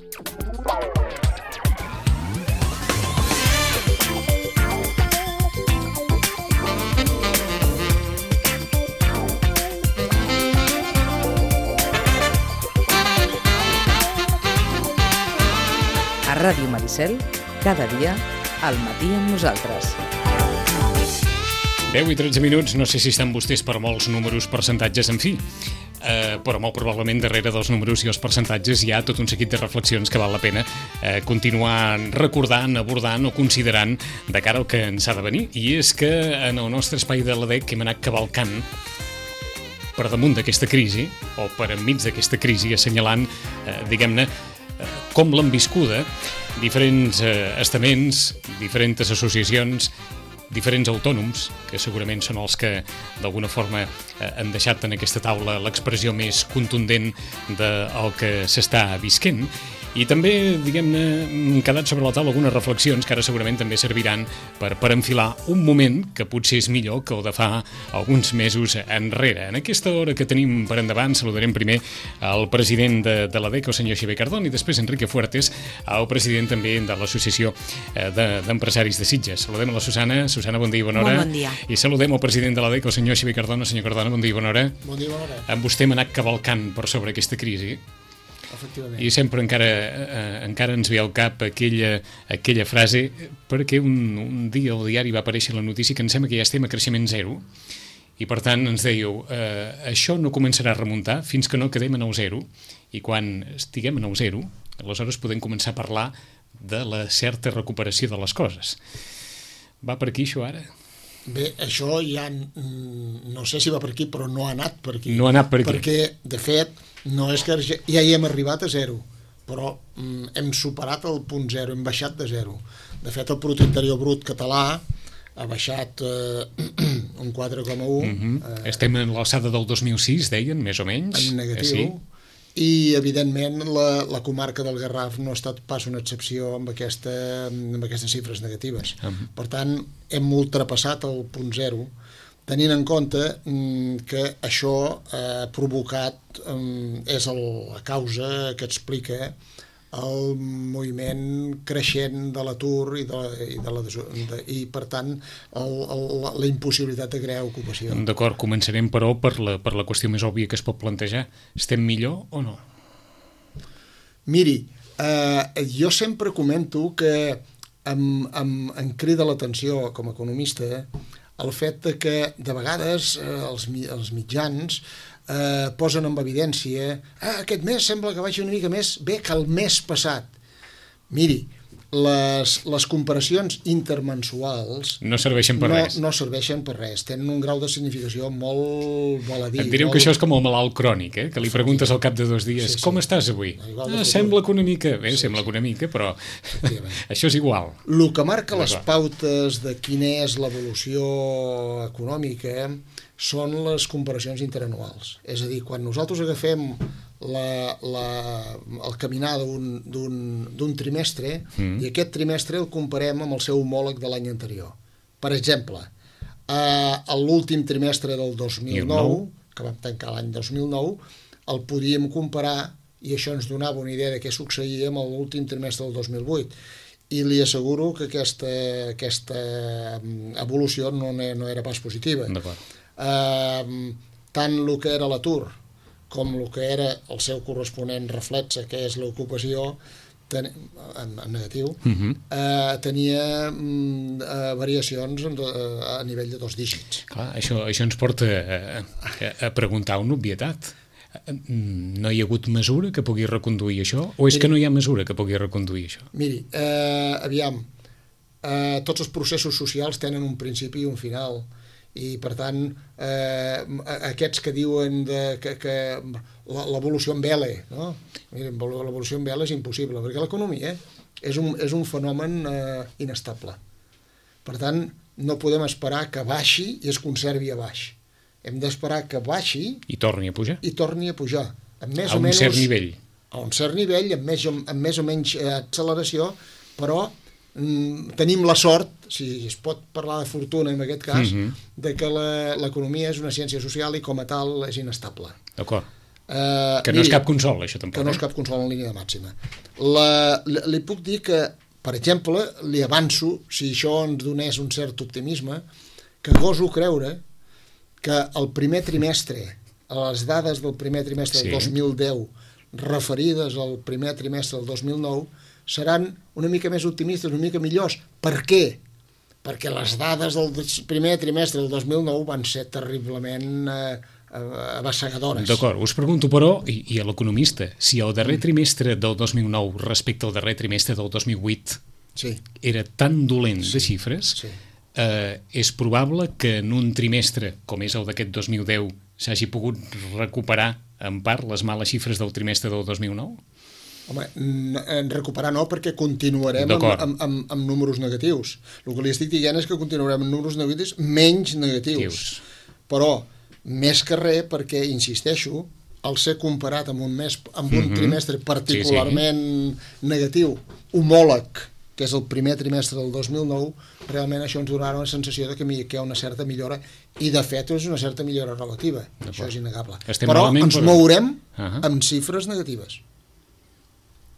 A Ràdio Maricel, cada dia, al matí amb nosaltres. 10 i 13 minuts, no sé si estan vostès per molts números, percentatges, en fi, però molt probablement darrere dels números i els percentatges hi ha tot un seguit de reflexions que val la pena continuar recordant, abordant o considerant de cara al que ens ha de venir. I és que en el nostre espai de l'ADEC hem anat cavalcant per damunt d'aquesta crisi, o per enmig d'aquesta crisi, assenyalant, diguem-ne, com l'han viscuda diferents estaments, diferents associacions, diferents autònoms, que segurament són els que d'alguna forma han deixat en aquesta taula l'expressió més contundent del que s'està visquent. I també, diguem-ne, han quedat sobre la taula algunes reflexions que ara segurament també serviran per enfilar un moment que potser és millor que el de fa alguns mesos enrere. En aquesta hora que tenim per endavant saludarem primer el president de l'ADEC, el senyor Xavier Cardón, i després Enrique Fuertes, el president també de l'Associació d'Empresaris de Sitges. Saludem a la Susana. Susana, bon dia i bona hora. Molt bon dia. I saludem el president de l'ADEC, el senyor Xavier Cardón. Senyor Cardón, bon dia i bona hora. Bon dia i bona hora. Amb vostè hem anat cavalcant per sobre aquesta crisi. I sempre encara ens ve al cap aquella frase, perquè un dia al diari va aparèixer la notícia que em sembla que ja estem a creixement zero, i per tant ens dèieu, això no començarà a remuntar fins que no quedem en el zero, i quan estiguem en el zero, aleshores podem començar a parlar de la certa recuperació de les coses. Va per aquí això ara? Bé, això ja no sé si va per aquí, però no ha anat per aquí. No ha anat per aquí. Perquè, de fet, no és que ja hi hem arribat a zero, però hem superat el punt zero, hem baixat de zero. De fet, el Producte Interior Brut català ha baixat un 4,1. Estem en l'alçada del 2006, deien, més o menys. En negatiu. Sí. I, evidentment, la comarca del Garraf no ha estat pas una excepció amb aquestes xifres negatives. Per tant, hem ultrapassat el punt zero, tenint en compte que això ha provocat, és la causa que explica el moviment creixent de l'atur i per tant, la impossibilitat de crear ocupació. D'acord, començarem, però, per la qüestió més òbvia que es pot plantejar. Estem millor o no? Miri, jo sempre comento que em crida l'atenció com a economista el fet que de vegades els mitjans posen en evidència aquest mes sembla que vagi una mica més bé que el mes passat. Miri, les comparacions intermensuals no serveixen per res. No serveixen per res, tenen un grau de significació molt voladí. Et direu que això és com el malalt crònic, que li preguntes al cap de 2 dies, com estàs avui? Sembla que una mica, sembla que una mica, però això és igual. El que marca les pautes de quina és l'evolució econòmica són les comparacions interanuals. És a dir, quan nosaltres agafem el caminar d'un trimestre i aquest trimestre el comparem amb el seu homòleg de l'any anterior. Per exemple, l'últim trimestre del 2009, que vam tancar l'any 2009, el podíem comparar, i això ens donava una idea de què succeïa amb l'últim trimestre del 2008. I li asseguro que aquesta evolució no era pas positiva. Tant el que era l'atur com el que era el seu corresponent reflexe, que és l'ocupació en negatiu, tenia variacions a nivell de 2 dígits. Clar, això ens porta a preguntar una obvietat. No hi ha hagut mesura que pugui reconduir això? O és que no hi ha mesura que pugui reconduir això? Miri, aviam, tots els processos socials tenen un principi i un final, i per tant aquests que diuen que l'evolució en L, no? Miren, l'evolució en L és impossible, perquè l'economia és un fenomen inestable. Per tant, no podem esperar que baixi i es conservi a baix. Hem d'esperar que baixi i torni a pujar. A un cert nivell. A un cert nivell, amb més o menys acceleració, però tenim la sort, si es pot parlar de fortuna en aquest cas, de que l'economia és una ciència social i com a tal és inestable. D'acord. Que no és cap consol, això tampoc. Que no és cap consol en línia de màxima. Li puc dir que, per exemple, li avanço, si això ens donés un cert optimisme, que goso creure que el primer trimestre, les dades del primer trimestre del 2010 referides al primer trimestre del 2009 seran una mica més optimistes, una mica millors. Per què? Perquè les dades del primer trimestre del 2009 van ser terriblement abassegadores. D'acord, us pregunto, però, i a l'economista, si el darrer trimestre del 2009 respecte al darrer trimestre del 2008 era tan dolent de xifres, és probable que en un trimestre, com és el d'aquest 2010, s'hagi pogut recuperar en part les males xifres del trimestre del 2009? Home, recuperar no, perquè continuarem amb números negatius. El que li estic dient és que continuarem amb números negatius menys negatius. Però, més que res, perquè, insisteixo, al ser comparat amb un trimestre particularment negatiu, homòleg, que és el primer trimestre del 2009, realment això ens donarà una sensació de que hi ha una certa millora, i de fet és una certa millora relativa. Això és innegable. Però ens mourem amb xifres negatives.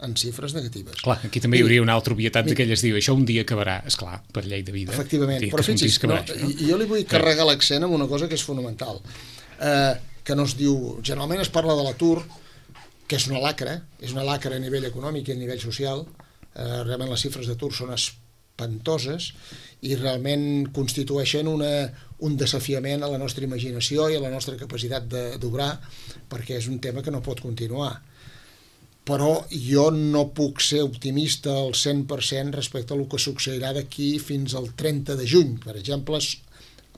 En xifres negatives. Clar, aquí també hi hauria una altra obvietat d'aquelles, diu, això un dia acabarà, esclar, per llei de vida. Efectivament, però fixi's, jo li vull carregar l'accent amb una cosa que és fonamental, que no es diu, generalment es parla de l'atur, que és una lacra a nivell econòmic i a nivell social, realment les xifres d'atur són espantoses i realment constitueixen un desafiament a la nostra imaginació i a la nostra capacitat d'obrar, perquè és un tema que no pot continuar. Però jo no puc ser optimista al 100% respecte a el que succeirà d'aquí fins al 30 de juny, per exemple,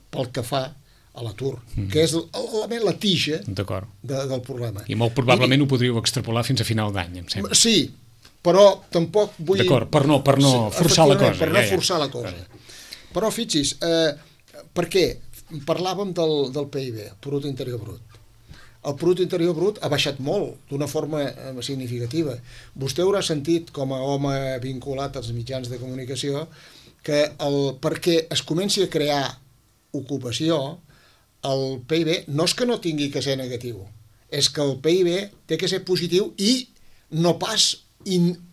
pel que fa a l'atur, que és la tija del problema. I molt probablement ho podríeu extrapolar fins a final d'any, em sembla. Sí, però tampoc vull... D'acord, per no forçar la cosa. Per no forçar la cosa. Però fixi's, per què? Parlàvem del PIB, Producte Interior Brut. El Producte Interior Brut ha baixat molt, d'una forma significativa. Vostè haurà sentit, com a home vinculat als mitjans de comunicació, que perquè es comenci a crear ocupació, el PIB no és que no tingui que ser negatiu, és que el PIB té que ser positiu i no pas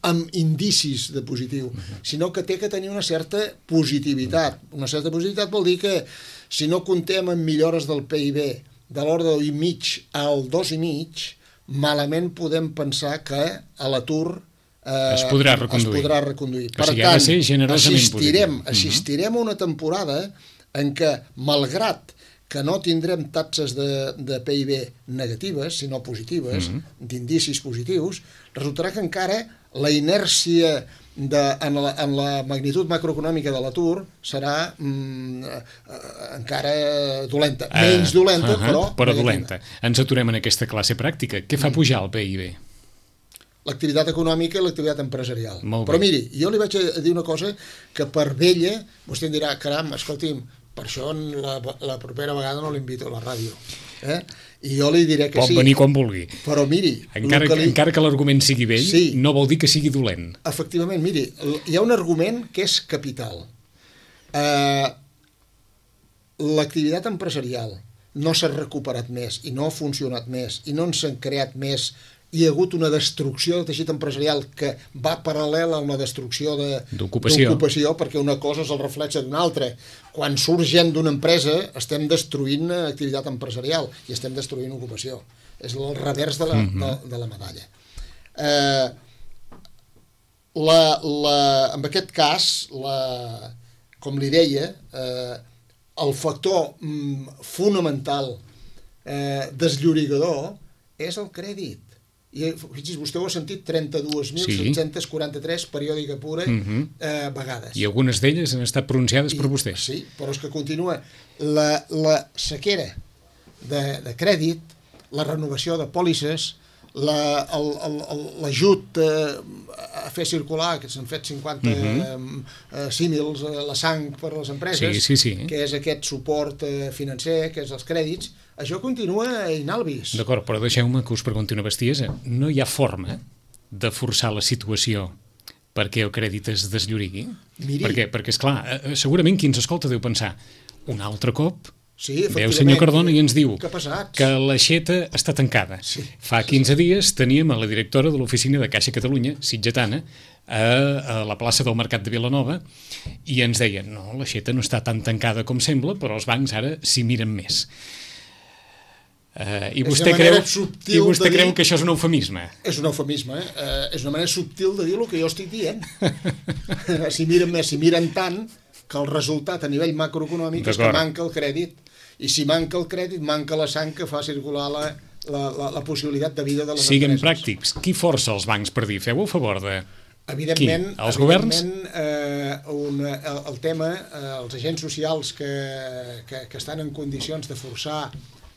amb indicis de positiu, sinó que té que tenir una certa positivitat. Una certa positivitat vol dir que si no comptem amb millores del PIB de l'ordre de 1,5 al 2,5, malament podem pensar que a l'atur es podrà reconduir. Per tant, assistirem a una temporada en què, malgrat que no tindrem taxes de PIB negatives, sinó positives, d'indicis positius, resultarà que encara la inèrcia en la magnitud macroeconòmica de l'atur serà encara dolenta. Menys dolenta, però dolenta. Ens aturem en aquesta classe pràctica. Què fa pujar el PIB? L'activitat econòmica i l'activitat empresarial. Però miri, jo li vaig a dir una cosa que per vella, vostè em dirà, caram, escolti'm, per això la propera vegada no l'invito a la ràdio. I jo li diré que sí. Pot venir quan vulgui. Però miri... Encara que l'argument sigui vell, no vol dir que sigui dolent. Efectivament, miri, hi ha un argument que és capital. L'activitat empresarial no s'ha recuperat més i no ha funcionat més i no s'han creat més. Hi ha hagut una destrucció del teixit empresarial que va paral·lela amb la destrucció d'ocupació, perquè una cosa és el reflex d'una altra. Quan surt gent d'una empresa estem destruint activitat empresarial i estem destruint ocupació. És el revers de la medalla. En aquest cas, com li deia, el factor fonamental desllorigador és el crèdit. I fixi's, vostè ho ha sentit 32.743 periòdica pura vegades. I algunes d'elles han estat pronunciades per vostès. Sí, però és que continua la sequera de crèdit, la renovació de pòlisses, l'ajut a fer circular, que s'han fet 50 símils, la sang per a les empreses, que és aquest suport financer, que és els crèdits, això continua inalvis. D'acord, però deixeu-me que us pregunti una bestiesa. No hi ha forma de forçar la situació perquè el crèdit es desllorigui? Perquè, esclar, segurament qui ens escolta deu pensar un altre cop Sí, Veu, efectivament. senyor Cardona, i ens diu Que passats. que l'Aixeta està tancada. Sí. Fa 15 dies teníem a la directora de l'oficina de Caixa Catalunya, sitgetana, a la plaça del Mercat de Vilanova, i ens deien, no, l'Aixeta no està tan tancada com sembla, però els bancs ara s'hi miren més. I vostè creu que això és un eufemisme? És un eufemisme, és una manera subtil de dir el que jo estic dient. S'hi miren més, s'hi miren tant, que el resultat a nivell macroeconòmic és que manca el crèdit. I si manca el crèdit, manca la sang que fa circular la possibilitat de vida de les empreses. Siguem pràctics. Qui força els bancs per dir, feu a favor de... Evidentment, qui? Els governs? El tema, els agents socials que estan en condicions de forçar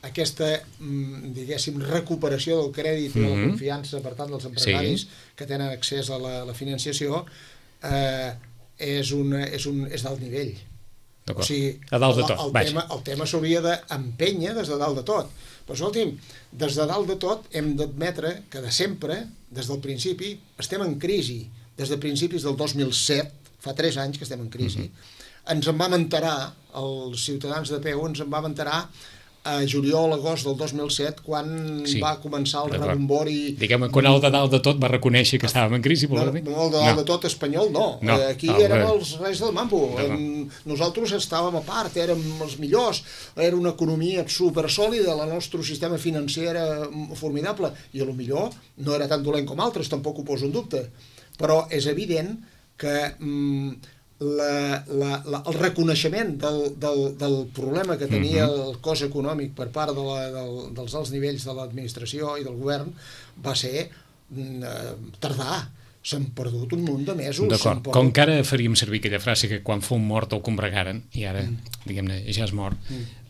aquesta, diguéssim, recuperació del crèdit i de la confiança, per tant, dels empresaris que tenen accés a la financiació, és d'alt nivell. O sigui, a dalt de tot. El tema s'hauria d'empènyer des de dalt de tot. Però escolti'm, des de dalt de tot hem d'admetre que de sempre, des del principi, estem en crisi. Des de principis del 2007, fa 3 anys que estem en crisi, ens en vam enterar, els ciutadans de peu ens en vam enterar a juliol, agost del 2007, quan va començar el rebombori... Diguem-ne, quan el de dalt de tot va reconèixer que estàvem en crisi, no, el de dalt de tot espanyol, no. Aquí érem els reis del mambo. Nosaltres estàvem a part, érem els millors, era una economia supersòlida, el nostre sistema financer era formidable, i a lo millor no era tan dolent com altres, tampoc ho poso en dubte. Però és evident que el reconeixement del problema que tenia el cos econòmic per part dels alts nivells de l'administració i del govern va ser tardar. S'han perdut un munt de mesos. D'acord, com que ara faríem servir aquella frase que quan fou mort el combregaren, i ara, diguem-ne, ja és mort,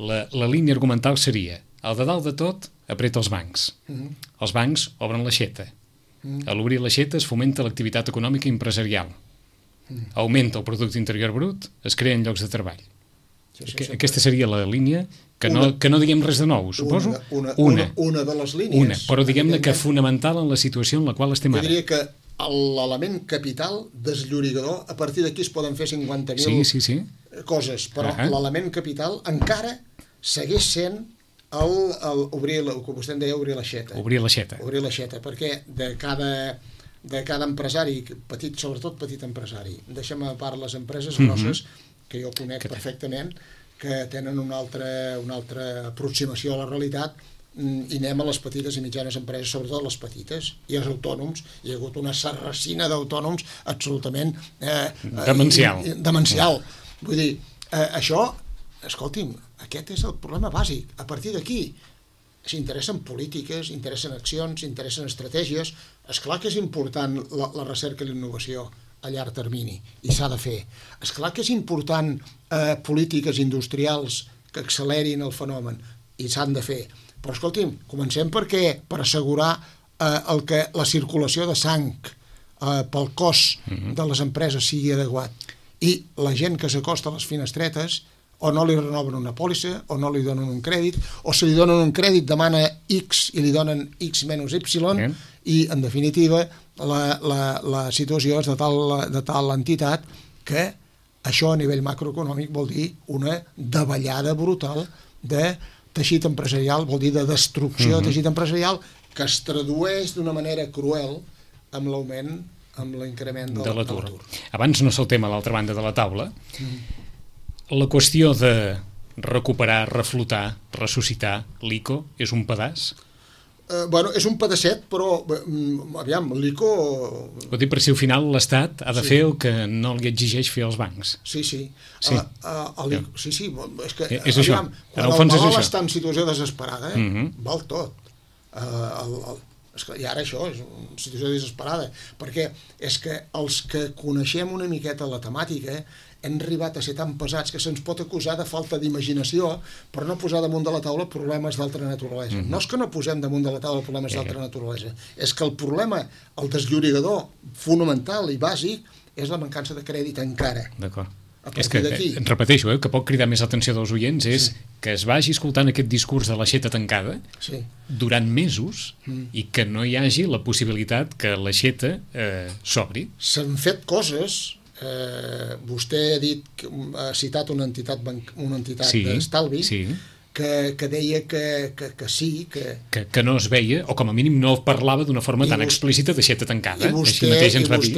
la línia argumental seria, el de dalt de tot apreta els bancs. Els bancs obren l'aixeta. A l'obrir l'aixeta es fomenta l'activitat econòmica i empresarial. Augmenta el producte interior brut, es creen llocs de treball. Aquesta seria la línia, que no diguem res de nou, suposo. Una de les línies. Però diguem-ne que fonamental en la situació en la qual estem ara. Jo diria que l'element capital desllorigador, a partir d'aquí es poden fer 50.000 coses, però l'element capital encara segueix sent obrir, com vostè em deia, obrir l'aixeta. Obrir l'aixeta. Obrir l'aixeta, perquè de cada empresari, sobretot petit empresari, deixem a part les empreses grosses, que jo conec perfectament, que tenen una altra aproximació a la realitat, i anem a les petites i mitjanes empreses, sobretot les petites, i els autònoms. Hi ha hagut una sarracina d'autònoms absolutament demencial. Vull dir, això, escolti'm, aquest és el problema bàsic. A partir d'aquí s'interessen polítiques, interessen accions, interessen estratègies. Esclar que és important la recerca i la innovació a llarg termini, i s'ha de fer. Esclar que és important polítiques industrials que accelerin el fenomen, i s'han de fer. Però escolti'm, comencem per assegurar la circulació de sang pel cos de les empreses sigui adequat. I la gent que s'acosta a les finestretes o no li renoven una pòlissa, o no li donen un crèdit, o si li donen un crèdit demana X i li donen X menys Y, i en definitiva la situació és de tal entitat que això a nivell macroeconòmic vol dir una davallada brutal de teixit empresarial, vol dir de destrucció de teixit empresarial, que es tradueix d'una manera cruel amb l'augment, amb l'increment de l'atur. Abans no saltem a l'altra banda de la taula. La qüestió de recuperar, reflotar, ressuscitar l'ICO és un pedaç? Bueno, és un pedacet, però aviam, l'ICO... Ho dic per si al final l'Estat ha de fer el que no li exigeix fer als bancs. Sí. És que, és això. Aviam, quan el malalt està en situació desesperada, val tot. I ara això és una situació desesperada, perquè és que els que coneixem una miqueta la temàtica hem arribat a ser tan pesats que se'ns pot acusar de falta d'imaginació per no posar damunt de la taula problemes d'altra naturalesa. No és que no posem damunt de la taula problemes d'altra naturalesa, és que el problema, el desllorigador fonamental i bàsic, és la mancança de crèdit encara. D'acord. És que, repeteixo, que pot cridar més l'atenció dels oients és que es vagi escoltant aquest discurs de l'aixeta tancada durant mesos i que no hi hagi la possibilitat que l'aixeta s'obri. S'han fet coses vostè ha citat una entitat d'estalvi que deia que sí, que no es veia, o com a mínim no parlava d'una forma tan explícita d'aixeta tancada. I vostè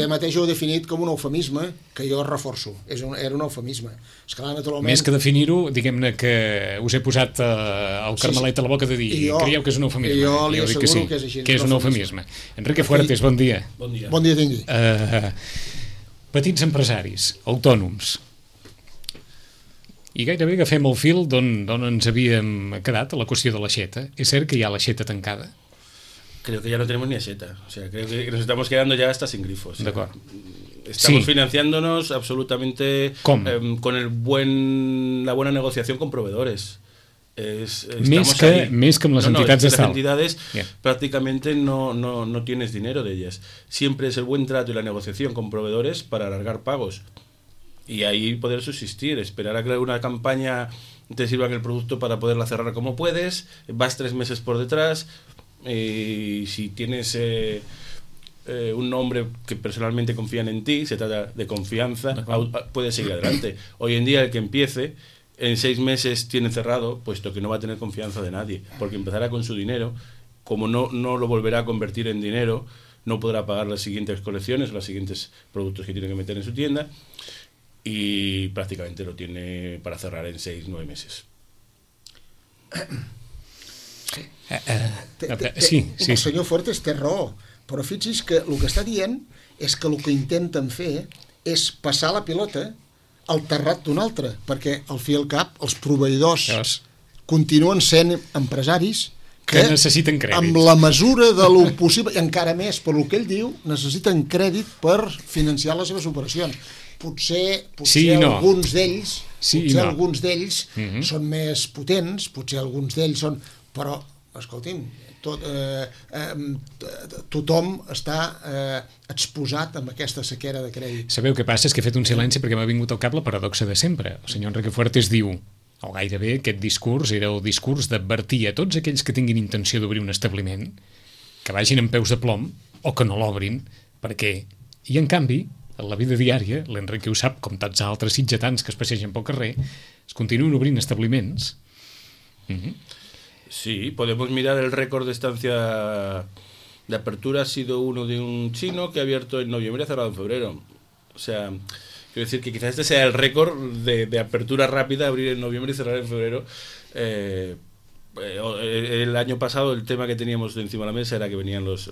mateix ho ha definit com un eufemisme, que jo reforço. Era un eufemisme. Esclar, naturalment... Més que definir-ho, diguem-ne que us he posat el carmelet a la boca de dir creieu que és un eufemisme. Jo li asseguro que és així. Que és un eufemisme. Enrique Fuertes, bon dia. Bon dia. Bon dia tingui. Petits empresaris, autònoms, i gairebé agafem el fil d'on ens havíem quedat a la qüestió de l'aixeta. És cert que hi ha l'aixeta tancada? Creo que ya no tenemos ni aixeta. O sea, creo que nos estamos quedando ya hasta sin grifos. D'acord. Estamos financiándonos absolutamente con la buena negociación con proveedores. Més que amb les entitats d'estalvi. Las entidades prácticamente no tienes dinero de ellas. Siempre es el buen trato y la negociación con proveedores para alargar pagos. Y ahí poder subsistir, esperar a que una campaña te sirva el producto para poderla cerrar como puedes, vas 3 meses por detrás, y si tienes un nombre que personalmente confían en ti, se trata de confianza, puedes seguir adelante. Hoy en día el que empiece, en 6 meses tiene cerrado, puesto que no va a tener confianza de nadie, porque empezará con su dinero, como no lo volverá a convertir en dinero, no podrá pagar las siguientes colecciones, los siguientes productos que tiene que meter en su tienda, y prácticamente lo tiene para cerrar en 6-9 meses. Sí. El senyor Fuertes té raó, però fixi's que el que està dient és que el que intenten fer és passar la pilota al terrat d'un altre, perquè al fi i al cap els proveïdors continuen sent empresaris que necessiten crèdit. Amb la mesura de lo possible, i encara més per el que ell diu, necessiten crèdit per financiar les seves operacions. Potser alguns d'ells alguns d'ells són més potents, potser alguns d'ells són... Però, escolti'm, tothom està exposat amb aquesta sequera de crèdit. Sabeu què passa? És que he fet un silenci perquè m'ha vingut al cap la paradoxa de sempre. El senyor Enrique Fuertes diu, o gairebé aquest discurs era el discurs d'advertir a tots aquells que tinguin intenció d'obrir un establiment que vagin amb peus de plom o que no l'obrin, perquè... I en canvi, en la vida diària, l'Enrique ho sap, com tants altres sitgetans que es passegen pel carrer, es continuen obrint establiments. Sí, podemos mirar el récord de estancia de apertura. Ha sido uno de un chino que ha abierto en noviembre y ha cerrado en febrero. O sea, quiero decir que quizás este sea el récord de apertura rápida, abrir en noviembre y cerrar en febrero. El año pasado el tema que teníamos encima de la mesa era que venían los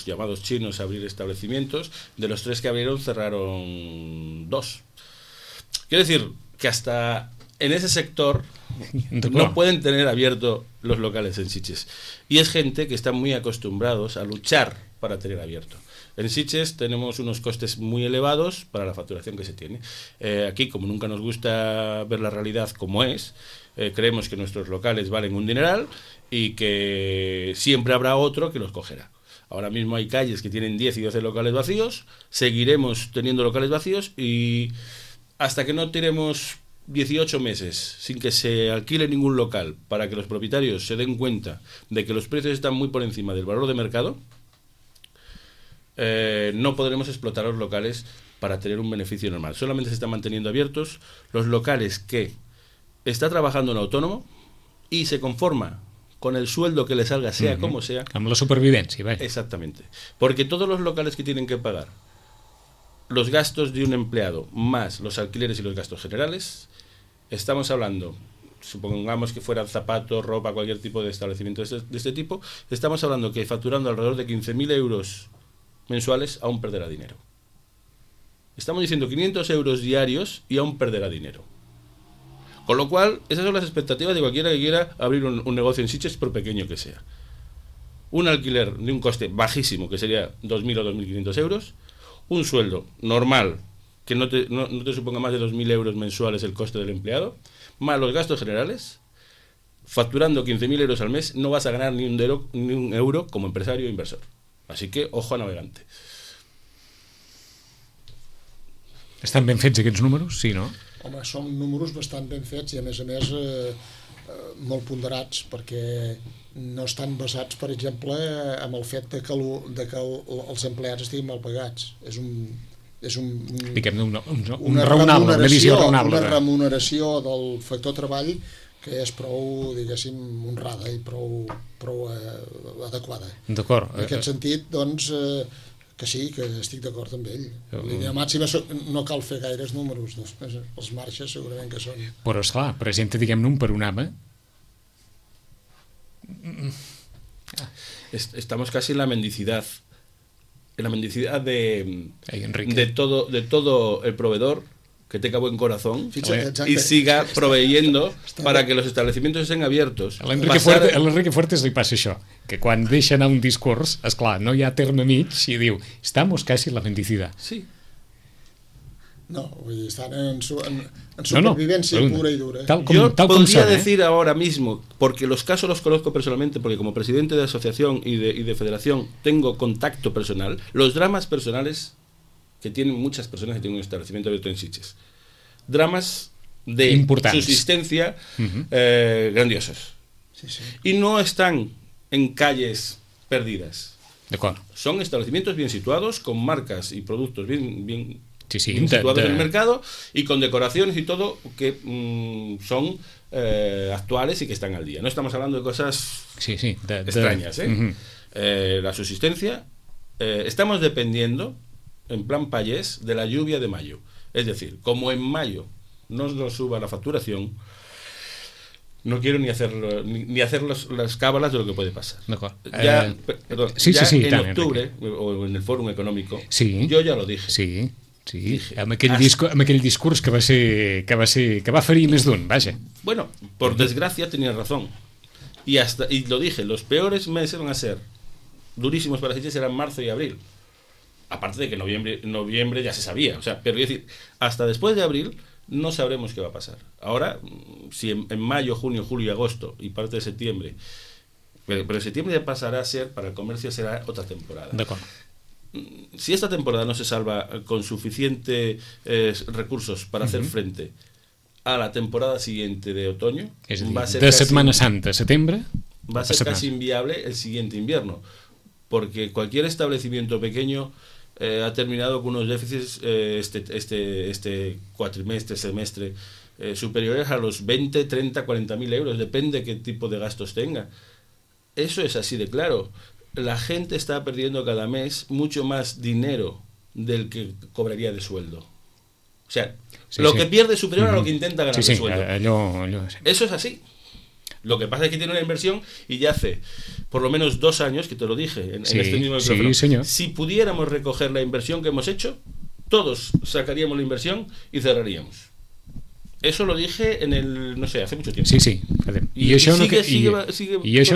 llamados chinos a abrir establecimientos. De los 3 que abrieron, cerraron 2. Quiero decir que hasta en ese sector no pueden tener abierto los locales en Sitges. Y es gente que está muy acostumbrados a luchar para tener abierto. En Sitges tenemos unos costes muy elevados para la facturación que se tiene. Aquí, como nunca nos gusta ver la realidad como es, creemos que nuestros locales valen un dineral y que siempre habrá otro que los cogerá. Ahora mismo hay calles que tienen 10 y 12 locales vacíos, seguiremos teniendo locales vacíos y hasta que no tiremos 18 meses sin que se alquile ningún local para que los propietarios se den cuenta de que los precios están muy por encima del valor de mercado, no podremos explotar los locales para tener un beneficio normal. Solamente se están manteniendo abiertos los locales que está trabajando un autónomo y se conforma con el sueldo que le salga, sea como sea. Amb la supervivencia, ¿vale? Exactamente. Porque todos los locales que tienen que pagar los gastos de un empleado más los alquileres y los gastos generales, estamos hablando, supongamos que fueran zapatos, ropa, cualquier tipo de establecimiento de este tipo, estamos hablando que facturando alrededor de 15.000 euros mensuales aún perderá dinero. Estamos diciendo 500 euros diarios y aún perderá dinero. Con lo cual, esas son las expectativas de cualquiera que quiera abrir un negocio en Sitges, por pequeño que sea. Un alquiler de un coste bajísimo, que sería 2.000 o 2.500 euros, un sueldo normal, que no te suponga más de 2.000 euros mensuales el coste del empleado, más los gastos generales, facturando 15.000 euros al mes, no vas a ganar ni un euro como empresario o inversor. Así que, ojo a navegante. Estan ben fets aquests números? Sí, no? Home, són números bastant ben fets i a més molt ponderats, perquè no estan basats, per exemple, en el fet de que els empleats estiguin mal pagats. és una raonable, una visió raonable. Una remuneració del factor treball que és prou, diguéssim, honrada i prou adequada. D'acord. En aquest sentit, doncs, que sí, que estic d'acord amb ell. L'idea màxima no cal fer gaires números, els marges segurament que són. Però, esclar, presenta, diguem-ne, un panorama. Estamos casi en la mendicidad. En la mendicidad de todo el proveedor que tenga buen corazón y siga proveyendo para que los establecimientos estén abiertos. A l'Enrique Fuertes li passa això, que quan deixa anar un discurs, esclar, no hi ha terme mig i diu, estamos casi en la mendicidad. Sí. No, vull dir, estan en supervivencia pura y dura. Yo podría decir ahora mismo, porque los casos los conozco personalmente, porque como presidente de asociación y de federación tengo contacto personal, los dramas personales que tienen muchas personas que tienen un establecimiento abierto en Sitges. Dramas de subsistencia grandiosos. Sí, sí. Y no están en calles perdidas. Son establecimientos bien situados, con marcas y productos bien situados en el mercado y con decoraciones y todo que son actuales y que están al día. No estamos hablando de cosas extrañas. La subsistencia, estamos dependiendo en plan payés de la lluvia de mayo. Es decir, como en mayo no nos suba la facturación, no quiero ni hacer las cábalas de lo que puede pasar. Ya en octubre, o en el Fòrum Econòmic, jo ja lo dije. Sí, amb aquell discurs que va ferir més d'un, vaja. Bueno, por desgracia tenía razón. Y lo dije, los peores meses van a ser durísimos para Sitges, serán marzo y abril. Aparte de que noviembre ya se sabía, o sea, pero es decir, hasta después de abril no sabremos qué va a pasar. Ahora, si en mayo, junio, julio y agosto y parte de septiembre, pero en septiembre ya pasará a ser, para el comercio será otra temporada. Si esta temporada no se salva con suficientes recursos para hacer frente a la temporada siguiente de otoño, va a ser de Setmana Santa, setembre, va a ser casi inviable el siguiente invierno, porque cualquier establecimiento pequeño ha terminado con unos déficits este semestre superiores a los 20, 30, 40.000 euros, depende qué tipo de gastos tenga. Eso es así de claro. La gente está perdiendo cada mes mucho más dinero del que cobraría de sueldo. O sea, lo que pierde es superior a lo que intenta ganar de sueldo. Eso es así. Lo que pasa es que tiene una inversión y ya hace por lo menos 2 años, que te lo dije en este mismo micrófono, si pudiéramos recoger la inversión que hemos hecho, todos sacaríamos la inversión y cerraríamos. Eso lo dije en el, no sé, hace mucho tiempo. I això no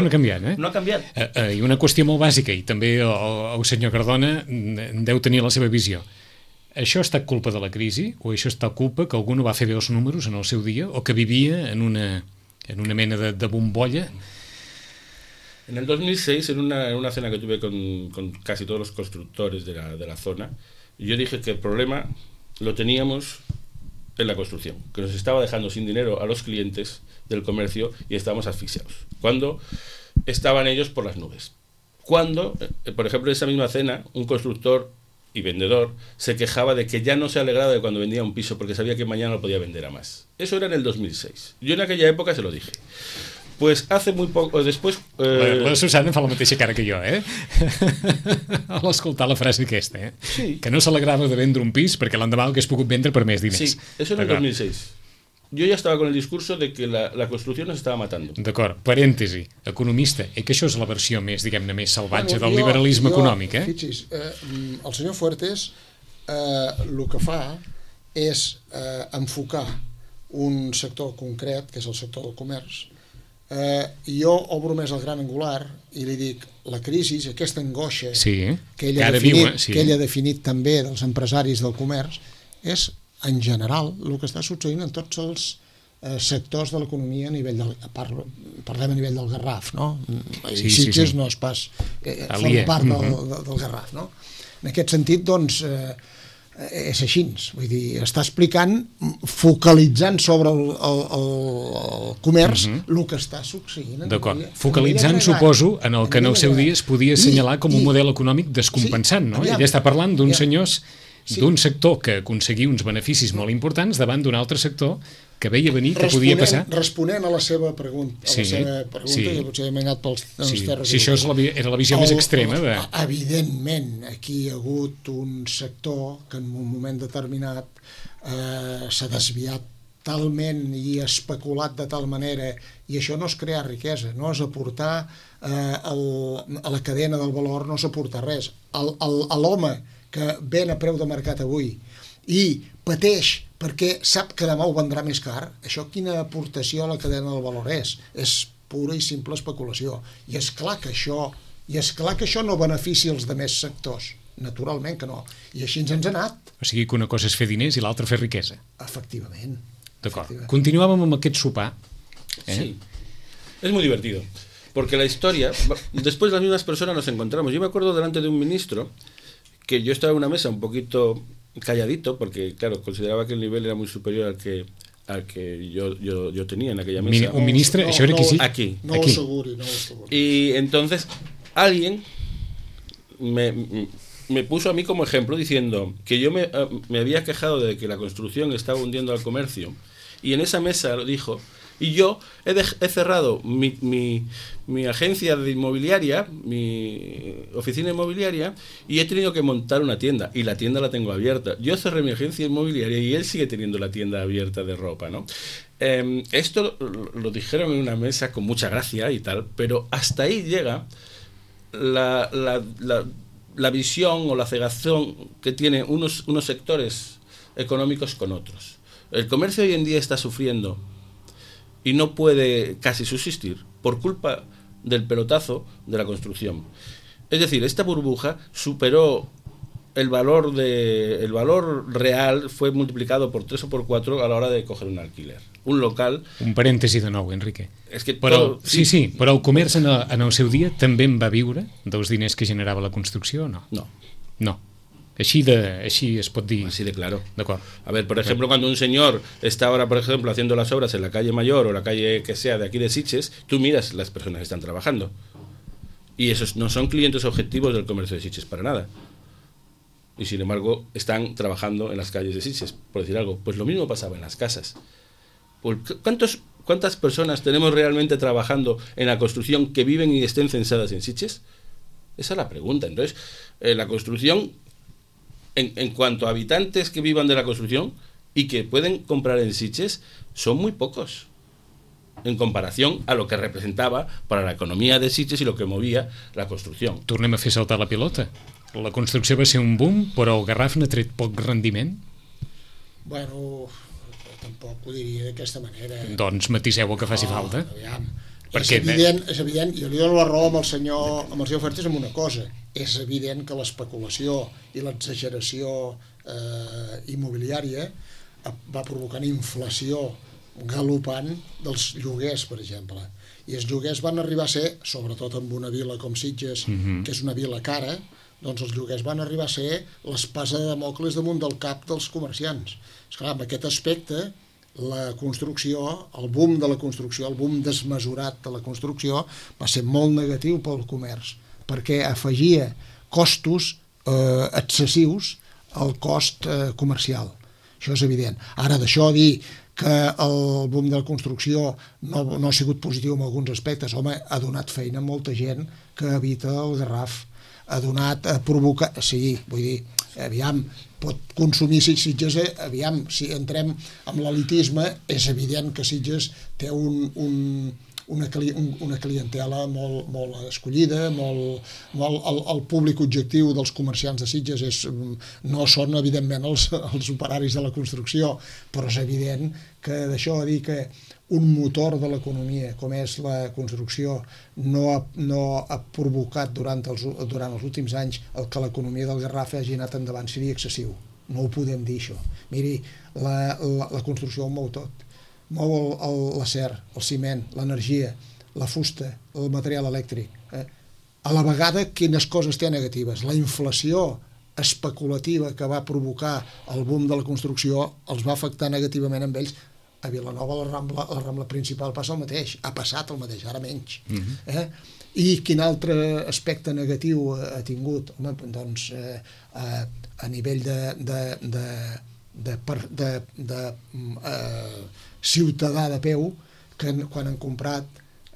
ha canviat, eh? No ha canviat. I una qüestió molt bàsica, i també el senyor Cardona deu tenir la seva visió. Això ha estat culpa de la crisi, o això ha estat culpa que algú no va fer bé els números en el seu dia, o que vivia en una mena de bombolla? En el 2006, en una cena que tuve con casi todos los constructores de la zona, yo dije que el problema lo teníamos en la construcción, que nos estaba dejando sin dinero a los clientes del comercio y estábamos asfixiados. Cuando estaban ellos por las nubes. Cuando, por ejemplo, en esa misma cena, un constructor y vendedor se quejaba de que ya no se alegraba de cuando vendía un piso porque sabía que mañana lo podía vender a más. Eso era en el 2006. Yo en aquella època se lo dije. Pues hace muy poco, después... La Susana fa la mateixa cara que jo, eh? A l'escoltar la frase aquesta, eh? Sí. Que no s'alegrava de vendre un pis perquè l'endemà l'hagués pogut vendre per més diners. Sí, eso en el 2006. Yo ya estaba con el discurso de que la construcción nos estaba matando. D'acord, parèntesi, economista, que això és la versió més, diguem-ne, més salvatge del liberalisme econòmic, eh? Fixis, el senyor Fuertes el que fa és enfocar un sector concret, que és el sector del comerç. Jo obro més el gran angular i li dic, la crisi, aquesta angoixa que ell ha definit també dels empresaris del comerç, és en general el que està succeint en tots els sectors de l'economia a nivell parlem a nivell del Garraf, no? Sitges no és pas forma part del Garraf, no? En aquest sentit, doncs, és així, vull dir, està explicant, focalitzant sobre el comerç el que està succeint. D'acord, focalitzant, suposo, en el que en el seu dia es podia assenyalar com un model econòmic descompensant, no? Ell està parlant d'uns senyors d'un sector que aconseguia uns beneficis molt importants davant d'un altre sector que veia venir que podia passar. Responent a la seva pregunta, i potser hem anat pels terres. Sí, això era la visió més extrema. Evidentment, aquí hi ha hagut un sector que en un moment determinat s'ha desviat talment i especulat de tal manera, i això no és crear riquesa, no és aportar a la cadena del valor, no és aportar res. A l'home que ven a preu de mercat avui i pateix perquè sap que demà ho vendrà més car, això quina aportació a la cadena del valor és? És pura i simple especulació. I és clar que això no beneficia els demés sectors. Naturalment que no. I així ens ha anat. O sigui que una cosa és fer diners i l'altra fer riquesa. Efectivament. D'acord. Continuàvem amb aquest sopar. Sí. Es muy divertido. Porque la historia, después las mismas personas nos encontramos. Yo me acuerdo delante de un ministro que yo estaba en una mesa un poquito calladito, porque claro, consideraba que el nivel era muy superior al que yo tenía en aquella mesa. Un ministre, això era aquí, sí? Aquí. No ho asseguri. Y entonces alguien me puso a mí como ejemplo diciendo que yo me había quejado de que la construcción estaba hundiendo al comercio, y en esa mesa lo dijo, y yo he cerrado mi agencia de inmobiliaria, mi oficina inmobiliaria, y he tenido que montar una tienda, y la tienda la tengo abierta. Yo cerré mi agencia inmobiliaria y él sigue teniendo la tienda abierta de ropa, ¿no? Esto lo dijeron en una mesa con mucha gracia y tal, pero hasta ahí llega la visión o la cegación que tienen unos sectores económicos con otros. El comercio hoy en día está sufriendo y no puede casi subsistir por culpa del pelotazo de la construcción. Es decir, esta burbuja superó el valor real, fue multiplicado por 3 o por 4 a la hora de coger un alquiler. Un local... Un parèntesi de nou, Enrique. És que però, sí, però el comerç en el seu dia també en va viure dels diners que generava la construcció o no? No. Així es pot dir. Así de claro. De acuerdo. A ver, por ejemplo, cuando un señor está ahora, por ejemplo, haciendo las obras en la calle Mayor o la calle que sea de aquí de Sitges, tú miras las personas que están trabajando. Y esos no son clientes objetivos del comercio de Sitges para nada. Y sin embargo, están trabajando en las calles de Sitges, por decir algo. Pues lo mismo pasaba en las casas. ¿Cuántas personas tenemos realmente trabajando en la construcción que viven y estén censadas en Sitges? Esa es la pregunta. Entonces, la construcción... En cuanto a habitantes que vivan de la construcción y que pueden comprar en Sitges, son muy pocos en comparación a lo que representaba para la economía de Sitges y lo que movia la construcció. Tornem a fer saltar la pilota. La construcció va ser un boom, però el Garraf n'ha tret poc rendiment? Bueno, tampoc ho diria d'aquesta manera. Doncs matiseu el que faci falta. Aviam. És evident, jo li dono la raó amb el senyor Fertes en una cosa. És evident que l'especulació i l'exageració immobiliària va provocant inflació galopant dels lloguers, per exemple. I els lloguers van arribar a ser, sobretot en una vila com Sitges, que és una vila cara, doncs els lloguers van arribar a ser l'espasa de Damocles damunt del cap dels comerciants. Esclar, amb aquest aspecte, la construcció, el boom de la construcció, el boom desmesurat de la construcció, va ser molt negatiu pel comerç, perquè afegia costos excessius al cost comercial. Això és evident. Ara, d'això dir que el boom de la construcció no ha sigut positiu en alguns aspectes, home, ha donat feina a molta gent que habita el Garraf, ha donat a provocar... Sí, vull dir, aviam, pot consumir Sitges, aviam, si entrem amb l'elitisme, és evident que Sitges té una clientela molt escollida, el públic objectiu dels comerciants de Sitges no són, evidentment, els operaris de la construcció, però és evident que d'això a dir que un motor de l'economia, com és la construcció, no ha provocat durant els últims anys el que l'economia del Garraf hagi anat endavant, seria excessiu. No ho podem dir, això. Miri, la construcció ho mou tot. Mou l'acer, el ciment, l'energia, la fusta, el material elèctric. A la vegada, quines coses té negatives? La inflació especulativa que va provocar el boom de la construcció els va afectar negativament amb ells. A Vilanova, la Rambla principal passa el mateix, ha passat el mateix, ara menys. I quin altre aspecte negatiu ha tingut? Home, doncs a nivell de ciutadà de peu, que quan han comprat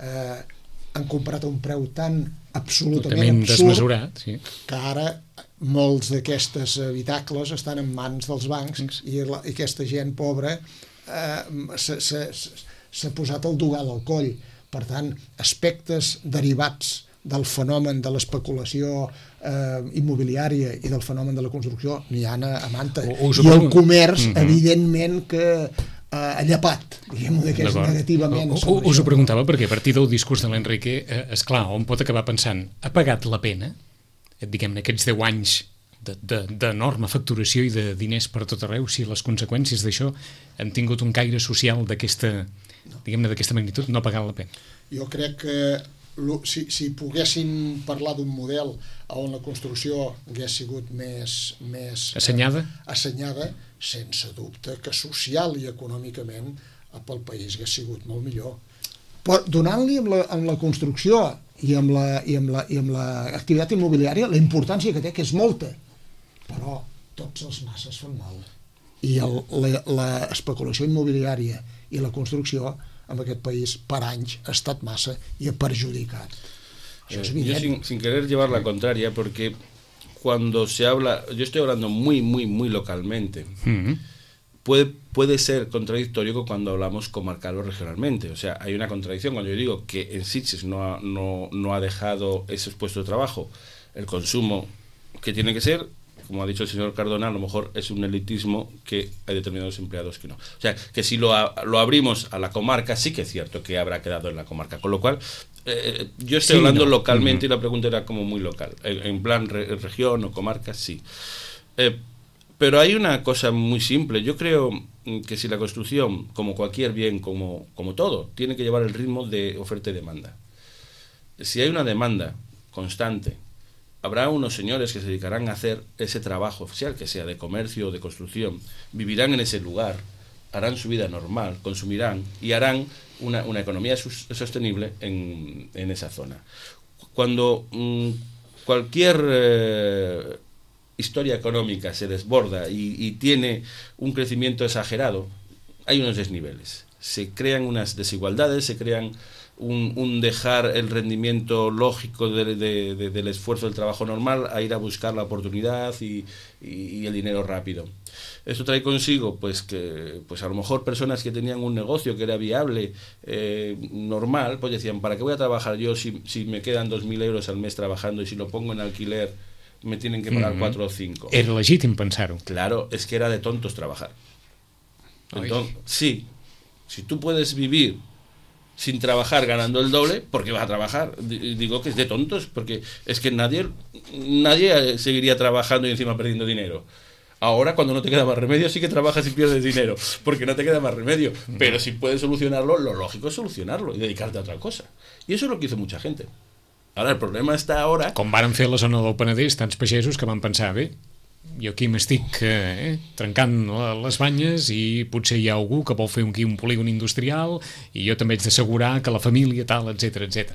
a un preu tan absolutament absurd desmesurat, sí, que ara molts d'aquestes habitacles estan en mans dels bancs i aquesta gent pobra s'ha posat el dogal al coll. Per tant, aspectes derivats del fenomen de l'especulació immobiliària i del fenomen de la construcció n'hi ha a manta. I el comerç, evidentment, que ha llepat, diguem-ho negativament. Us ho preguntava perquè a partir del discurs de l'Enrique, esclar, on pot acabar pensant, ha pagat la pena, diguem-ne, aquests 10 anys d'enorme facturació i de diners per tot arreu, si les conseqüències d'això han tingut un caire social d'aquesta, diguem-ne, d'aquesta magnitud, no ha pagat la pena? Jo crec que si poguéssim parlar d'un model on la construcció hagués sigut més assenyada, sense dubte que social i econòmicament pel país hagués sigut molt millor. Però donant-li amb la construcció i amb l'activitat immobiliària la importància que té, que és molta, però tots els masses fan mal. I l'especulació immobiliària i la construcció en aquest país per anys ha estat massa i ha perjudicat. Això és evident. Yo sin querer llevar la contraria, porque cuando se habla, yo estoy hablando muy localmente, puede ser contradictorio cuando hablamos comarcal o regionalmente. O sea, hay una contradicción cuando yo digo que en Sitges no ha dejado esos puestos de trabajo el consumo que tiene que ser. Como ha dicho el señor Cardona, a lo mejor es un elitismo que hay determinados empleados que no. O sea, que si lo abrimos a la comarca, sí que es cierto que habrá quedado en la comarca. Con lo cual, yo estoy hablando localmente y la pregunta era como muy local. En plan región o comarca, sí. Pero hay una cosa muy simple. Yo creo que si la construcción, como cualquier bien, como todo, tiene que llevar el ritmo de oferta y demanda. Si hay una demanda constante, habrá unos señores que se dedicarán a hacer ese trabajo, sea el que sea, de comercio o de construcción, vivirán en ese lugar, harán su vida normal, consumirán y harán una economía sostenible en esa zona. Cuando cualquier historia económica se desborda y tiene un crecimiento exagerado, hay unos desniveles. Se crean unas desigualdades, se crean un dejar el rendimiento lógico del esfuerzo del trabajo normal a ir a buscar la oportunidad y el dinero rápido. Esto trae consigo pues que a lo mejor personas que tenían un negocio que era viable, normal, pues decían, ¿para qué voy a trabajar yo si me quedan 2.000 euros al mes trabajando y si lo pongo en alquiler me tienen que pagar 4 o 5? Era legítim pensar-ho. Claro, es que era de tontos trabajar. Entonces, sí, si tú puedes vivir sin trabajar ganando el doble, ¿por qué vas a trabajar? Digo que es de tontos, porque es que nadie seguiría trabajando y encima perdiendo dinero. Ahora, cuando no te queda más remedio, sí que trabajas y pierdes dinero, porque no te queda más remedio. Pero si puedes solucionarlo, lo lógico es solucionarlo y dedicarte a otra cosa. Y eso es lo que hizo mucha gente. Ara, el problema està ara... Com varen fer a la zona del Penedès, tants pagesos que van pensar, bé, jo aquí m'estic trencant les banyes i potser hi ha algú que vol fer aquí un polígon industrial i jo també haig d'assegurar que la família tal, etc.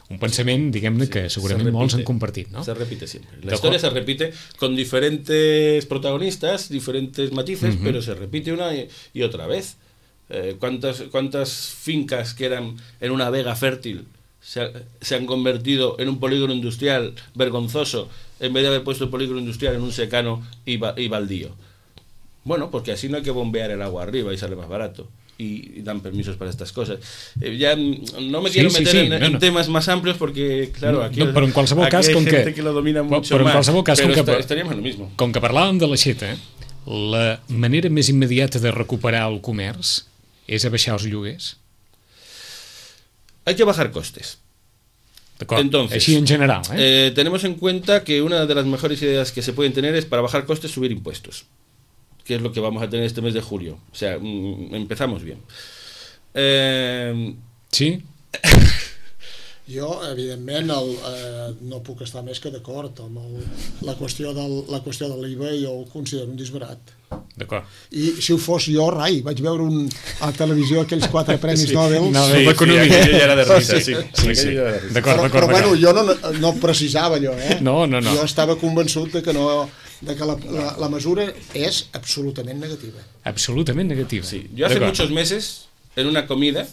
Un pensament, diguem-ne, que segurament molts han compartit, ¿no? Se repite siempre. La historia se repite con diferentes protagonistas, diferentes matices, pero se repite una y otra vez. ¿Cuántas fincas que eran en una vega fértil se han convertido en un polígono industrial vergonzoso en vez de haber puesto el polígono industrial en un secano y baldío? Bueno, porque así no hay que bombear el agua arriba y sale más barato y dan permisos para estas cosas. Ya no me quiero meter en temas más amplios porque, claro, aquí, però en qualsevol cas, hay com gente que lo domina mucho però en más, qualsevol cas, pero estaríamos en lo mismo. Com que parlàvem de l'aixeta, la manera més immediata de recuperar el comerç és abaixar els lloguers? Hay que bajar costes. Entonces, así en general, tenemos en cuenta que una de las mejores ideas que se pueden tener es, para bajar costes, subir impuestos, que es lo que vamos a tener este mes de julio. O sea, empezamos bien. Sí? Jo, evidentment, no puc estar més que d'acord amb la qüestió de l'IVA. Jo ho considero un disbarat. D'acord. I si ho fos jo, rai, vaig veure a la televisió aquells 4 premis Nobel. L'economia. Aquell ja era de risa, sí. D'acord. Però bueno, jo no precisava allò, No. Jo estava convençut de que la mesura és absolutament negativa. Absolutament negativa. Sí. Yo hace muchos meses, en una comida,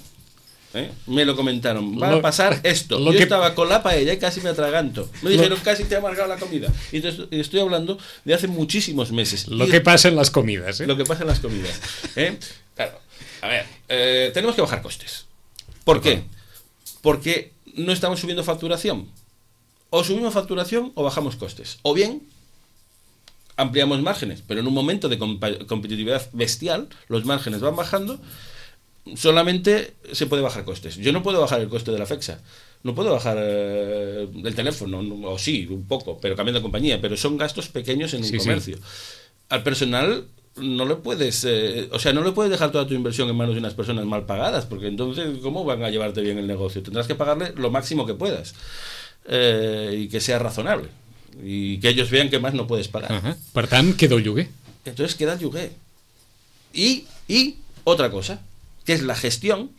me lo comentaron, va a pasar esto. Yo estaba con la paella y casi me atraganto. Me dijeron, casi te ha amargado la comida. Y estoy hablando de hace muchísimos meses. Lo que pasa en las comidas. Lo que pasa en las comidas. Claro, a ver, tenemos que bajar costes. ¿Por qué? Porque no estamos subiendo facturación. O subimos facturación o bajamos costes. O bien ampliamos márgenes, pero en un momento de competitividad bestial, los márgenes van bajando. Solamente se puede bajar costes. Yo no puedo bajar el coste de la FEXA, no puedo bajar el teléfono, o sí, un poco, pero cambiando de compañía, pero son gastos pequeños en un comercio. Sí. Al personal no le puedes, no le puedes dejar toda tu inversión en manos de unas personas mal pagadas, porque entonces ¿cómo van a llevarte bien el negocio? Tendrás que pagarle lo máximo que puedas y que sea razonable y que ellos vean que más no puedes pagar. Per tant, queda el lloguer. Entonces queda el lloguer. Y otra cosa, que es la gestión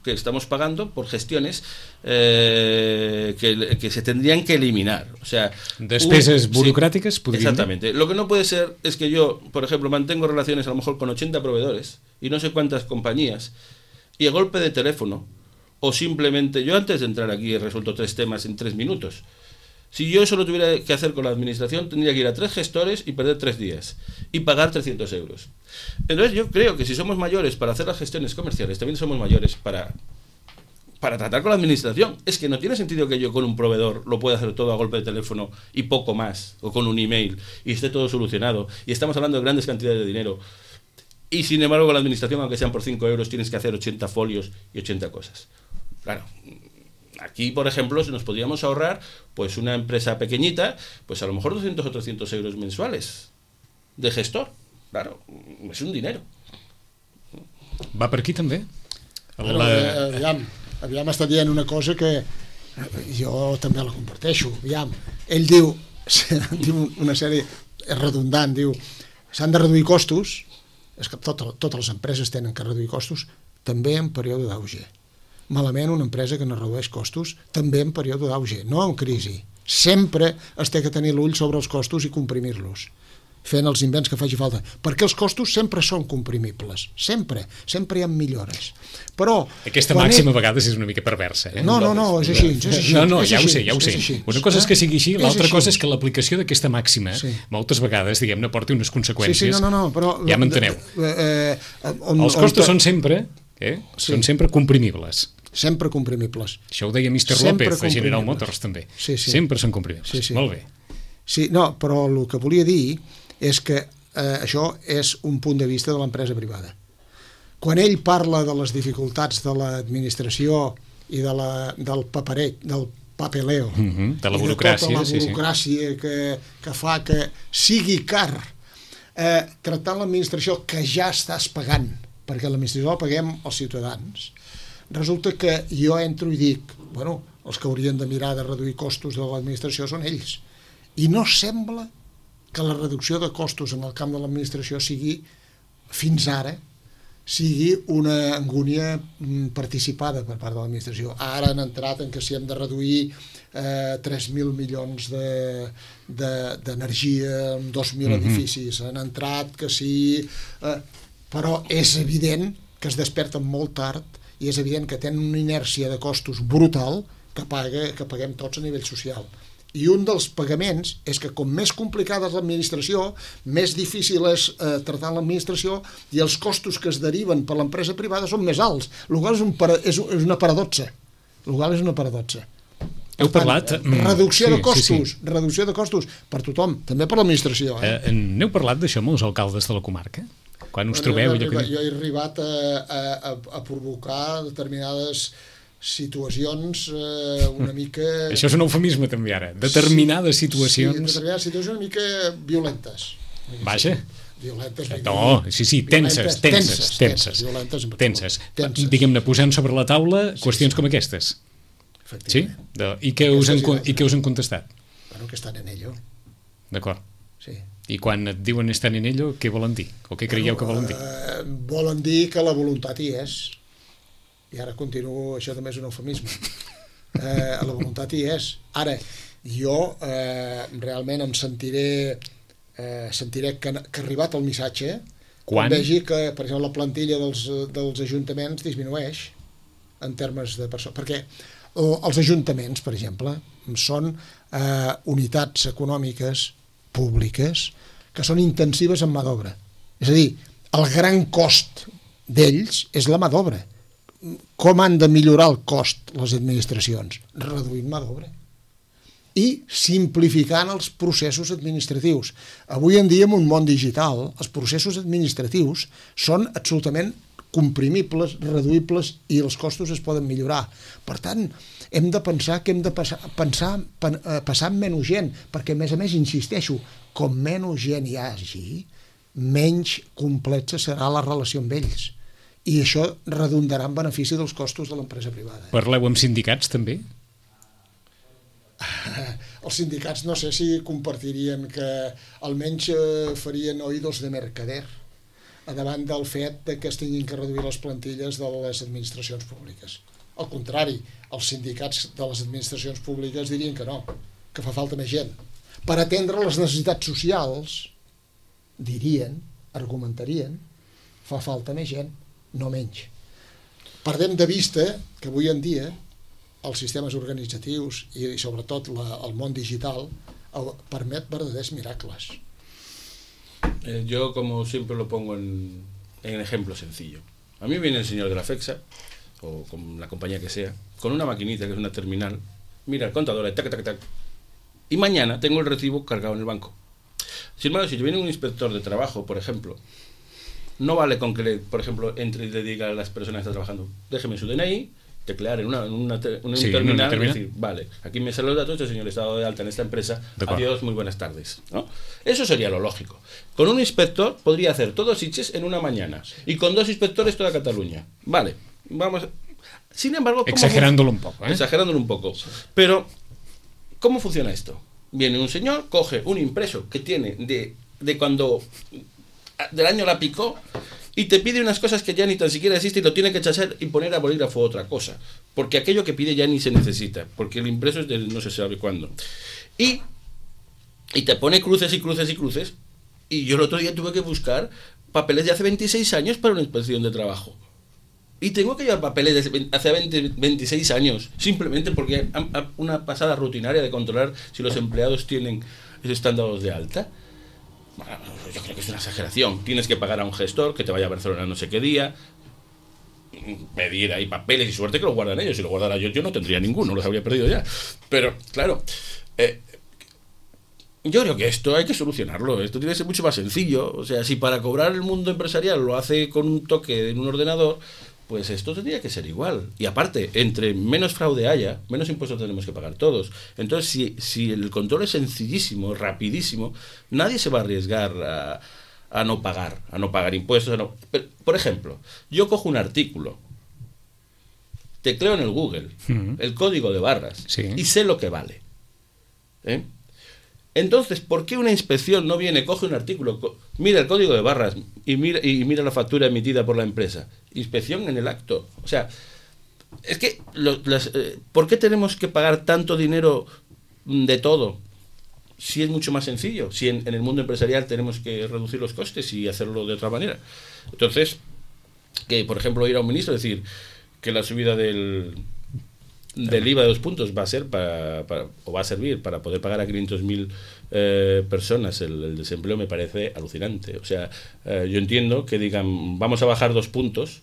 que estamos pagando por gestiones que se tendrían que eliminar. O sea, despeses burocráticas, sí, exactamente. Lo que no puede ser es que yo, por ejemplo, mantengo relaciones a lo mejor con 80 proveedores y no sé cuántas compañías, y a golpe de teléfono, o simplemente, yo antes de entrar aquí he resuelto 3 temas en 3 minutos. Si yo eso lo tuviera que hacer con la administración, tendría que ir a 3 gestores y perder 3 días y pagar 300 euros. Entonces yo creo que si somos mayores para hacer las gestiones comerciales, también somos mayores para tratar con la administración. Es que no tiene sentido que yo con un proveedor lo pueda hacer todo a golpe de teléfono y poco más, o con un email, y esté todo solucionado, y estamos hablando de grandes cantidades de dinero, y sin embargo con la administración, aunque sean por 5 euros, tienes que hacer 80 folios y 80 cosas. Claro, aquí, por ejemplo, si nos podríamos ahorrar, pues una empresa pequeñita, pues a lo mejor 200 o 300 euros mensuales de gestor. Claro, és un dinero. Va per aquí també? Bueno, aviam està dient una cosa que jo també la comparteixo. Aviam, ell diu una sèrie, és redundant, diu s'han de reduir costos, és que totes les empreses tenen que reduir costos, també en període d'auge. Malament una empresa que no redueix costos, també en període d'auge, no en crisi. Sempre es té que tenir l'ull sobre els costos i comprimir-los, fent els invents que faci falta, perquè els costos sempre són comprimibles, sempre hi ha millores. Però aquesta màxima a vegades és una mica perversa. No, és així. No, ja ho sé. Una cosa és que sigui així, l'altra cosa és que l'aplicació d'aquesta màxima moltes vegades, diguem-ne, porti unes conseqüències. Però ja m'enteneu. Els costos són sempre comprimibles. Sempre comprimibles. Això ho deia Mr. López de General Motors també. Sempre són comprimibles. Molt bé. Sí, no, però el que volia dir és que això és un punt de vista de l'empresa privada. Quan ell parla de les dificultats de l'administració i del paperet, del papeleo, de la burocràcia, i de tota la burocràcia que fa que sigui car tractant l'administració que ja estàs pagant, perquè l'administració la paguem els ciutadans, resulta que jo entro i dic, bueno, els que haurien de mirar de reduir costos de l'administració són ells. I no sembla que la reducció de costos en el camp de l'administració sigui, fins ara, sigui una angúnia participada per part de l'administració. Ara han entrat en que si hem de reduir 3.000 milions d'energia en 2.000 edificis, han entrat que sí... Però és evident que es desperten molt tard i és evident que tenen una inèrcia de costos brutal que paguem tots a nivell social. I un dels pagaments és que com més complicada és l'administració, més difícil és tractar l'administració i els costos que es deriven per l'empresa privada són més alts. El qual és una paradoxa. Heu parlat... Reducció de costos per tothom, també per l'administració. N'heu parlat d'això amb els alcaldes de la comarca? Quan us trobeu... Jo he arribat a provocar determinades situacions una mica... Això és un eufemisme també ara, determinades situacions... Sí, determinades situacions una mica violentes. Vaja. Violentes. No, sí, tenses. Diguem-ne, posant sobre la taula qüestions com aquestes. Sí? I què us han contestat? Bueno, que estan en ello. D'acord. Sí. I quan et diuen estan en ello, què volen dir? O què creieu que volen dir? Volen dir que la voluntat hi és. I ara continuo, això també és un eufemisme. La voluntat hi és. Ara, jo realment em sentiré que ha arribat el missatge quan vegi que, per exemple, la plantilla dels ajuntaments disminueix en termes de persones. Perquè els ajuntaments, per exemple, són unitats econòmiques públiques que són intensives en mà d'obra. És a dir, el gran cost d'ells és la mà d'obra. Com han de millorar el cost les administracions? Reduint mà d'obra i simplificant els processos administratius. Avui en dia, en un món digital, els processos administratius són absolutament comprimibles, reduïbles i els costos es poden millorar. Per tant, hem de pensar que hem de passar amb menys gent, perquè a més, insisteixo, com menys gent hi hagi, menys complexa serà la relació amb ells. I això redundarà en benefici dels costos de l'empresa privada. Parleu amb sindicats, també? Els sindicats no sé si compartirien que almenys farien oïdos de mercader davant del fet que es tinguin que reduir les plantilles de les administracions públiques. Al contrari, els sindicats de les administracions públiques dirien que no, que fa falta més gent. Per atendre les necessitats socials, dirien, argumentarien, fa falta més gent, no menys. Perdem de vista que avui en dia els sistemes organitzatius i sobretot el món digital permet verdaders miracles. Yo, como siempre, lo pongo en ejemplo sencillo. A mí viene el señor de la FEXA, o con la compañía que sea, con una maquinita que es una terminal, mira el contador, tac, tac, tac, y mañana tengo el recibo cargado en el banco. Sin embargo, si viene un inspector de trabajo, por ejemplo, no vale con que, por ejemplo, entre y le diga a las personas que están trabajando, déjeme su DNI, teclear en una terminal y decir, vale, aquí me salen los datos, este señor está dado de alta en esta empresa, adiós, muy buenas tardes, ¿no? Eso sería lo lógico. Con un inspector podría hacer todo Sitges en una mañana y con 2 inspectores toda Cataluña. Vale, vamos. Sin embargo, exagerándolo un poco, exagerándolo un poco. Pero ¿cómo funciona esto? Viene un señor, coge un impreso que tiene de cuando del año la picó y te pide unas cosas que ya ni tan siquiera existen y lo tiene que echar y poner a bolígrafo otra cosa, porque aquello que pide ya ni se necesita, porque el impreso es de no se sabe cuándo. Y te pone cruces y cruces y cruces, y yo el otro día tuve que buscar papeles de hace 26 años para una inspección de trabajo. Y tengo que llevar papeles de hace 26 años, simplemente porque una pasada rutinaria de controlar si los empleados están dados de alta. Bueno, yo creo que es una exageración. Tienes que pagar a un gestor que te vaya a Barcelona no sé qué día, pedir ahí papeles y suerte que los guardan ellos. Si lo guardara yo no tendría ninguno, los habría perdido ya. Pero, claro, yo creo que esto hay que solucionarlo. Esto tiene que ser mucho más sencillo. O sea, si para cobrar el mundo empresarial lo hace con un toque en un ordenador, pues esto tendría que ser igual. Y aparte, entre menos fraude haya, menos impuestos tenemos que pagar todos. Entonces, si el control es sencillísimo, rapidísimo, nadie se va a arriesgar a no pagar impuestos. Pero, por ejemplo, yo cojo un artículo, tecleo en el Google el código de barras y sé lo que vale. Entonces, ¿por qué una inspección no viene, coge un artículo, mira el código de barras y mira la factura emitida por la empresa? Inspección en el acto. O sea, es que ¿por qué tenemos que pagar tanto dinero de todo? Si es mucho más sencillo, si en el mundo empresarial tenemos que reducir los costes y hacerlo de otra manera. Entonces, que por ejemplo ir a un ministro y decir que la subida del IVA de 2 puntos va a ser va a servir para poder pagar a 500.000 personas el desempleo, me parece alucinante. O sea, yo entiendo que digan vamos a bajar 2 puntos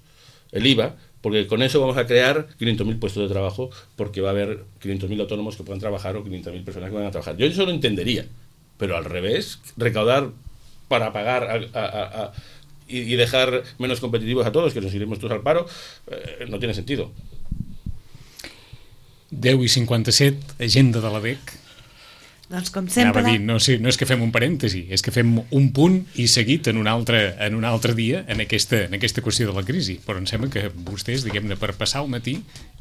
el IVA porque con eso vamos a crear 500.000 puestos de trabajo, porque va a haber 500.000 autónomos que puedan trabajar o 500.000 personas que van a trabajar. Yo eso lo entendería, pero al revés, recaudar para pagar y dejar menos competitivos a todos, que nos iremos todos al paro, no tiene sentido. 10:57, agenda de l'ADEC. Doncs com sempre... Anava a dir, no és que fem un parèntesi, és que fem un punt i seguit en un altre dia en aquesta qüestió de la crisi. Però em sembla que vostès, diguem-ne, per passar el matí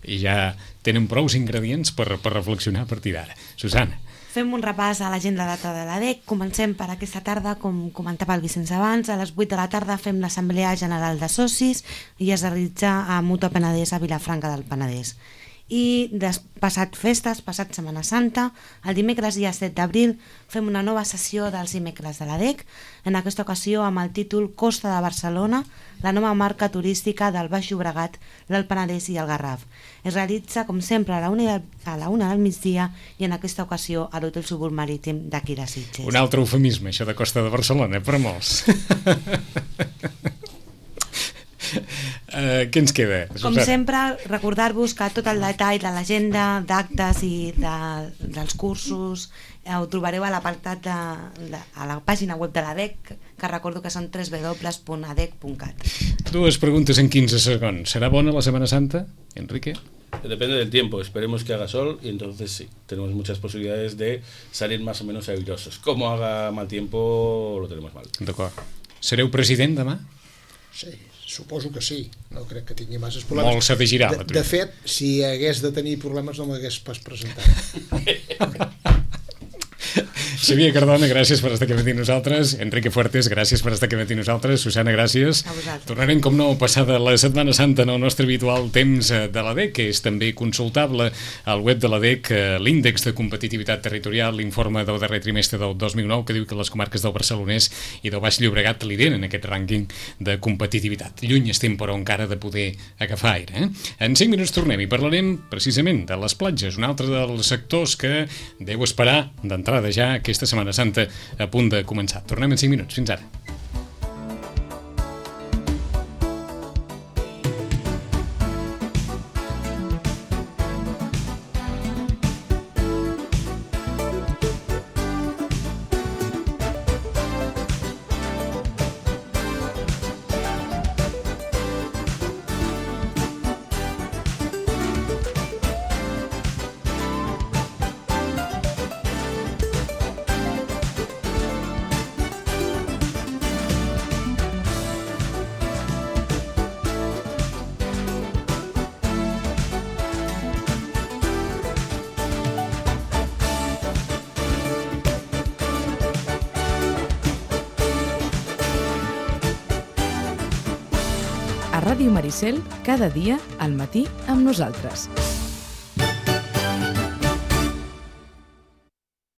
ja tenen prous ingredients per reflexionar a partir d'ara. Susana. Fem un repàs a l'agenda data de l'ADEC. Comencem per aquesta tarda, com comentava el Vicenç abans. A les 8 de la tarda fem l'Assemblea General de Socis i es realitza a Mutua Penedès a Vilafranca del Penedès. I passat festes, passat Setmana Santa, el dimecres dia 7 d'abril fem una nova sessió dels dimecres de l'ADEC, en aquesta ocasió amb el títol Costa de Barcelona, la nova marca turística del Baix Llobregat, l'Alt Penedès i el Garraf. Es realitza, com sempre, a la una del migdia i en aquesta ocasió a l'Hotel Súbul Marítim d'aquí de Sitges. Un altre eufemisme, això de Costa de Barcelona, per molts. Què ens queda? Com sempre, recordar-vos que tot el detall de l'agenda, d'actes i dels cursos ho trobareu a l'apartat a la pàgina web de l'ADEC, que recordo que són www.adec.cat. Dues preguntes en 15 segons. ¿Será bona la Semana Santa, Enrique? Depende del tiempo, esperemos que haga sol y entonces sí, tenemos muchas posibilidades de salir más o menos airosos. Como haga mal tiempo, lo tenemos mal. D'acord. Sereu president demà? Sí, suposo que sí, no crec que tingui masses problemes. Molt s'ha de girar. De fet, si hagués de tenir problemes no m'hagués pas presentat. Xavier Cardona, gràcies per estar aquí amb nosaltres. Enrique Fuertes, gràcies per estar aquí amb nosaltres. Susana, gràcies. Tornarem, com no, passada la Setmana Santa en el nostre habitual temps de l'ADEC, que és també consultable al web de l'ADEC, l'índex de competitivitat territorial, l'informe del darrer trimestre del 2009, que diu que les comarques del Barcelonès i del Baix Llobregat lideren aquest rànquing de competitivitat. Lluny estem, però, encara de poder agafar aire. En 5 minuts tornem i parlarem precisament de les platges, un altre dels sectors que deu esperar d'entrada ja aquesta Setmana Santa a punt de començar. Tornem en 5 minuts. Fins ara. A Ràdio Maricel, cada dia al matí amb nosaltres.